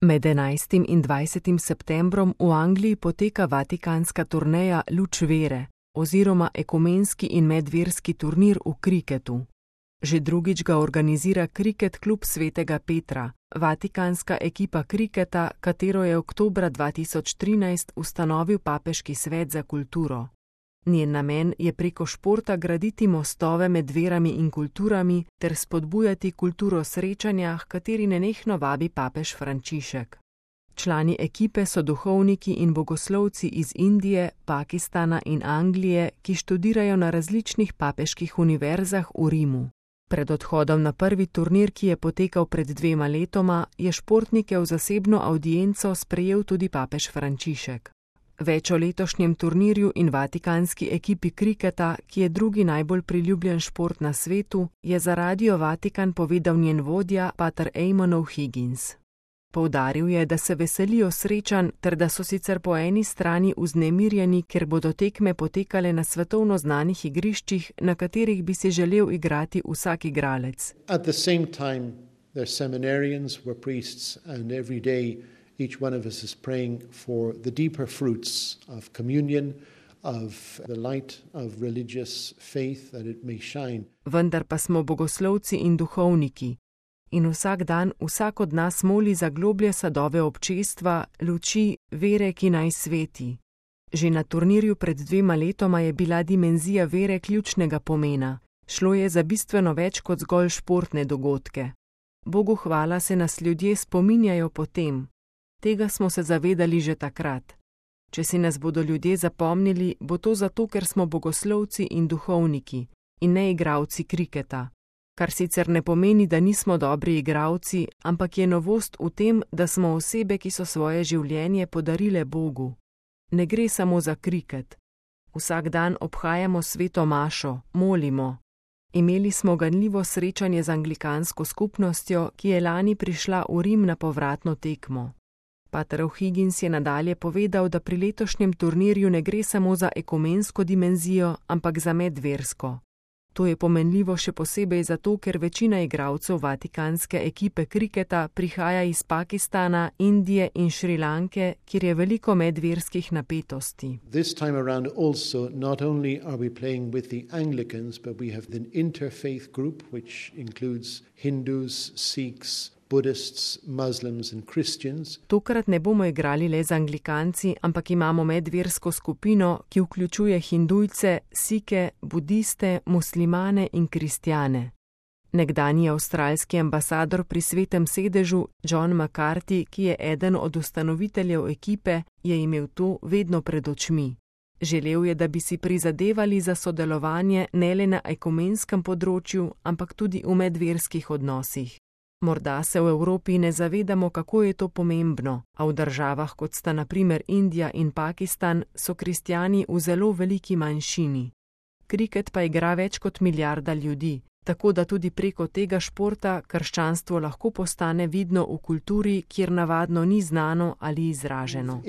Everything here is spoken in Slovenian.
Med 11. in 20. septembrom v Angliji poteka vatikanska turneja Luč vere oziroma ekumenski in medverski turnir v kriketu. Že drugič ga organizira Kriket klub Svetega Petra, vatikanska ekipa kriketa, katero je oktobra 2013 ustanovil Papeški svet za kulturo. Njen namen je preko športa graditi mostove med verami in kulturami ter spodbujati kulturo srečanja, h kateri nenehno vabi papež Frančišek. Člani ekipe so duhovniki in bogoslovci iz Indije, Pakistana in Anglije, ki študirajo na različnih papeških univerzah v Rimu. Pred odhodom na prvi turnir, ki je potekal pred 2 letoma, je športnike v zasebno avdienco sprejel tudi papež Frančišek. Več o letošnjem turnirju in vatikanski ekipi kriketa, ki je drugi najbolj priljubljen šport na svetu, je za Radio Vatikan povedal njen vodja, pater Eamon O'Higgins. Poudaril je, da se veselijo srečanj ter da so sicer po eni strani vznemirjeni, ker bodo tekme potekale na svetovno znanih igriščih, na katerih bi si želel igrati vsak igralec. At the same time, they're seminarians, we're priests, and every day each one of us is praying for the deeper fruits of communion, of the light of religious faith, that it may shine. Vendar pa smo bogoslovci in duhovniki. In vsak dan vsak od nas moli za globlje sadove občestva, luči, vere, ki naj sveti. Že na turnirju pred 2 letoma je bila dimenzija vere ključnega pomena. Šlo je za bistveno več kot zgolj športne dogodke. Bogu hvala se nas ljudje spominjajo po tem. Tega smo se zavedali že takrat. Če si nas bodo ljudje zapomnili, bo to zato, ker smo bogoslovci in duhovniki, in ne igralci kriketa. Kar sicer ne pomeni, da nismo dobri igralci, ampak je novost v tem, da smo osebe, ki so svoje življenje podarile Bogu. Ne gre samo za kriket. Vsak dan obhajamo sveto mašo, molimo. Imeli smo ganljivo srečanje z anglikansko skupnostjo, ki je lani prišla v Rim na povratno tekmo. Pater O'Higgins je nadalje povedal, da pri letošnjem turnirju ne gre samo za ekumensko dimenzijo, ampak za medversko. To je pomenljivo še posebej zato, ker večina igralcev vatikanske ekipe kriketa prihaja iz Pakistana, Indije in Šrilanke, kjer je veliko medverskih napetosti. This time around also not only are we playing with the Anglicans, but we have an interfaith group which includes Hindus, Sikhs, Buddhists, Muslims and Christians. Tokrat ne bomo igrali le z Anglikanci, ampak imamo medversko skupino, ki vključuje Hindujce, Sike, Budiste, muslimane in kristjane. Nekdanji avstralski ambasador pri Svetem sedežu, John McCarthy, ki je eden od ustanoviteljev ekipe, je imel to vedno pred očmi. Želel je, da bi si prizadevali za sodelovanje ne le na ekumenskem področju, ampak tudi v medverskih odnosih. Morda se v Evropi ne zavedamo, kako je to pomembno, a v državah, kot sta na primer Indija in Pakistan, so kristjani v zelo veliki manjšini. Kriket pa igra več kot milijarda ljudi, tako da tudi preko tega športa krščanstvo lahko postane vidno v kulturi, kjer navadno ni znano ali izraženo.